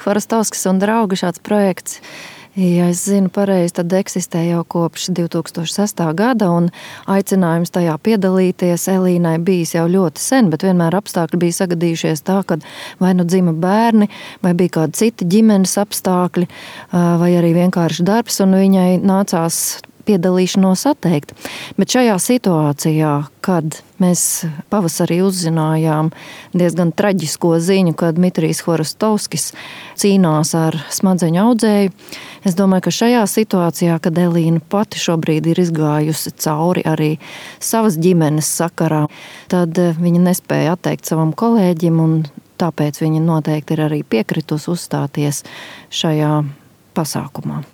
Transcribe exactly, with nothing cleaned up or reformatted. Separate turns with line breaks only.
Chvorostovskis un draugi šāds projekts, ja es zinu pareizi, tad eksistē jau kopš divi tūkstoši sestā gada, un aicinājums tajā piedalīties Elīnai bijis jau ļoti sen, bet vienmēr apstākļi bija sagadījušies tā, ka vai nu dzima bērni, vai bija kādi citi ģimenes apstākļi, vai arī vienkārši darbs, un viņai nācās piedalīšanos atteikt. Bet šajā situācijā, kad mēs pavasarī uzzinājām diezgan traģisko ziņu, ka Dmitrijs Chvorostovskis cīnās ar smadzeņu audzēju, es domāju, ka šajā situācijā, kad Elīna pati šobrīd ir izgājusi cauri arī savas ģimenes sakarā, tad viņa nespēja atteikt savam kolēģim, un tāpēc viņa noteikti ir arī piekritus uzstāties šajā pasākumā.